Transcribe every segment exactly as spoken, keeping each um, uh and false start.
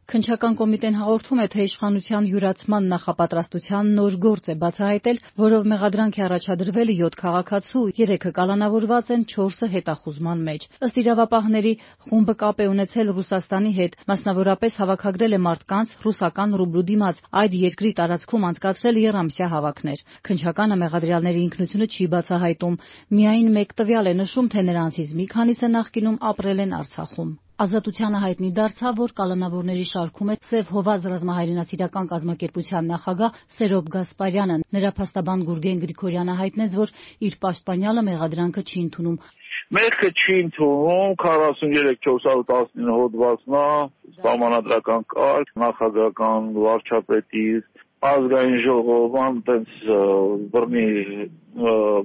Քննչական կոմիտեն հաղորդում է, թե իշխանության յուրացման նախապատրաստության նոր գործ է բացահայտել, որով մեղադրանք է առաջադրվել յոթ քաղաքացու, երեքը կալանավորված են, չորսը հետախուզման մեջ։ Ըստ իրավապահների, խումբը կապ է ունեցել Ռուսաստանի հետ, մասնավորապես հավաքագրել է մարդկանց ռուսական ռուբլու դիմաց, այդ երկրի տարածքում անցկացրել եռամսյա հավաքներ։ Քննչականը մեղադրյալների ինքնությունը չի բացահայտում, միայն մեկ տվյալ է նշում, թե նրանցից մի քանիսը նախկինում ապրել են Արցախում։ Ազատությանը հայտնի դարձավ, որ կալանավորների շարքում է Սև Հովազ ռազմահայրենասիրական կազմակերպության նախագահ Սերոբ Գասպարյանը։ Նրա փաստաբան Գուրգեն Գրիգորյանը հայտնեց, որ իր պաշտպանյալը մեղադրանքը չի ընդունում։ Մեղքը չի ընդունում, քառասուններեք չորս հարյուր տասնինը հոդվածն է, սահմանադրական կարգ, նախագահական վարչապետի ազգային ժողովան տենց բռնի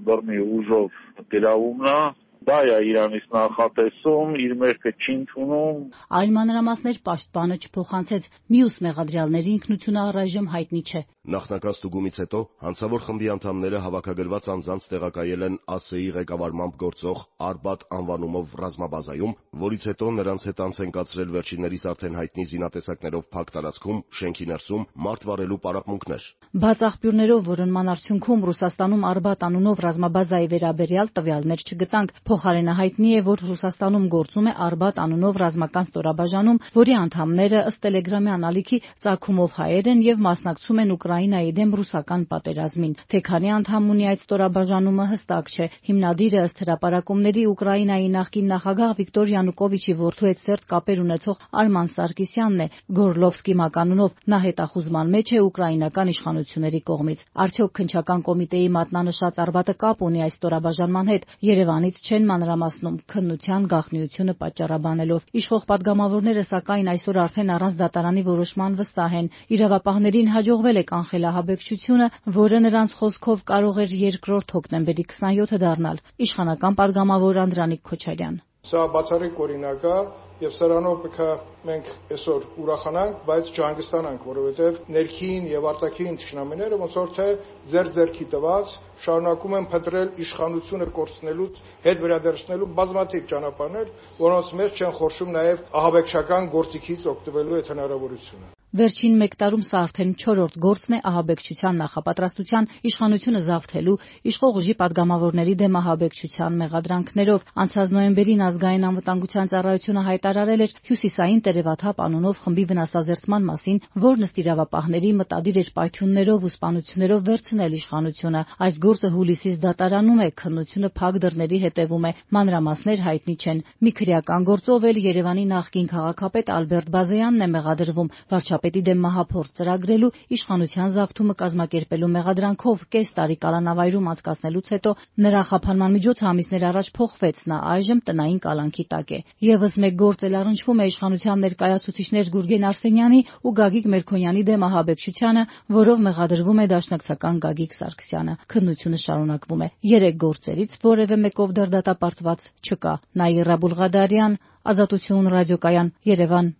բռնի ուժով գրավումն է։ Դա է Իրանից նախատեսում, իր մեղքը չի ընդունում։ Այլ մանրամասներ պաշտպանը չփոխանցեց, մյուս մեղադրյալների ինքնությունը առայժմ հայտնի չէ։ Նախնական ստուգումից հետո հանցավոր խմբի անդամները հավաքագրված անձանց տեղակայել են ԱՍԵ-ի ղեկավարմամբ գործող Արբաթ անվանումով ռազմաբազայում, որից հետո նրանց հետ անց են կացրել վերջիններիս արդեն հայտնի զինատեսակներով փակ տարածքում, շենքի ներսում մարդ վառելու պարապմունքներ։ Բաց աղբյուրներով որոնման արդյունքում Ռուսաստանում Արբաթ անունով ռազմաբազայի վերաբերյալ տվյալներ չգտանք։ Փոխարենը հայտնի է, որ Ռուսաստանում գործում է Արբաթ անունով ռազմական ստորաբաժանում, որի անդամները ըստ տելեգրամյան ալիքի ծագումով հայեր են եւ մասնակցում են Ուկրաինայի դեմ ռուսական պատերազմին։ Թե քանի անդամ ունի այդ ստորաբաժանումը հստակ չէ։ Հիմնադիրը ըստ հրապարակումների Ուկրաինայի նախկին նախագահ Վիկտոր Յանուկովիչի որդու հետ սերտ կապեր ունեցող Արման Սարգսյանն է։ Գորլովսկի մականունով նա հետախուզման մեջ է ուկրաինական իշխանությունների կողմից։ Արդյոք քննչական կոմիտեի մատնանշած Արբաթը կապ ունի այս ստորաբաժանման հետ։ Երևանից չեն մանրամասնում քննության գաղտնիությունը պատճառաբանելով։ Իշխող պատգամավորները սակայն այսօր արդեն առանց դատարանի որոշման վստահ են։ Իրավապահներին հաջողվել է կանխել ահաբեկչությունը, որը նրանց խոսքով կարող էր երկրորդ հոկտեմբերի քսանյոթը դառնալ։ Իշխանական պատգամավոր Անդրանիկ Քոչարյան։ Սա բացառիկ օրինակ է եւ սրանով պետք է մենք այսօր ուրախանանք, բայց չհանգստանանք, որովհետեւ ներքին եւ արտաքին թշնամիները ոնց որ թե ձեր ձերքի տված շարունակում են փնտրել իշխանությունը կորցնելուց հետ վերադարձնելու բազմաթիվ ճանապարհներ, որոնց մեջ չեն խորշում նաեւ ահաբեկչական գործիքից օգտվելու այդ հնարավորությունը։ Վերջին մեկ տարում սա արդեն չորրորդ գործն է ահաբեկչության նախապատրաստության, իշխանությունը զավթելու, իշխող ուժի պատգամավորների դեմ ահաբեկչության մեղադրանքներով։ Անցած նոյեմբերին ազգային անվտանգության ծառայությունը հայտարարել էր Հյուսիսային տերևաթափ անունով խմբի վնասազերծման մասին, որն ըստ իրավապահների մտադիր էր պայթյուններով ու սպանություններով վերցնել իշխանությունը։ Այս գործը հուլիսից դատարանում է, քննությունը փակ դռների հետևում է, մանրամասներ հայտնի չեն։ Մի քրեական գործով էլ Երևանի նախկին քաղաքապետ Ալբերտ Բազեյանն է մեղադրվում վարչապետի դեմ մահափորձ ծրագրելու, իշխանության զավթումը կազմակերպելու մեղադրանքով կես տարի կալանավայրում անցկացնելուց հետո նրա խափանման միջոցը ամիսներ առաջ փոխվեց, նա այժմ տնային կալանքի տակ է։ Եվս մեկ գործ էլ առնչվում է իշխանության ներկայացուցիչներ Գուրգեն Արսենյանի ու Գագիկ Մերքոնյանի դեմ ահաբեկչությանը, որով մեղադրվում է դաշնակցական Գագիկ Սարգսյանը։ Քննությունը շարունակվում է։ Երեք գործերից որևէ մեկով դեռ դատապարտված չկա։ Նաիրա Բուլղադարյան, Ազատություն ռադիոկայան, Երևան։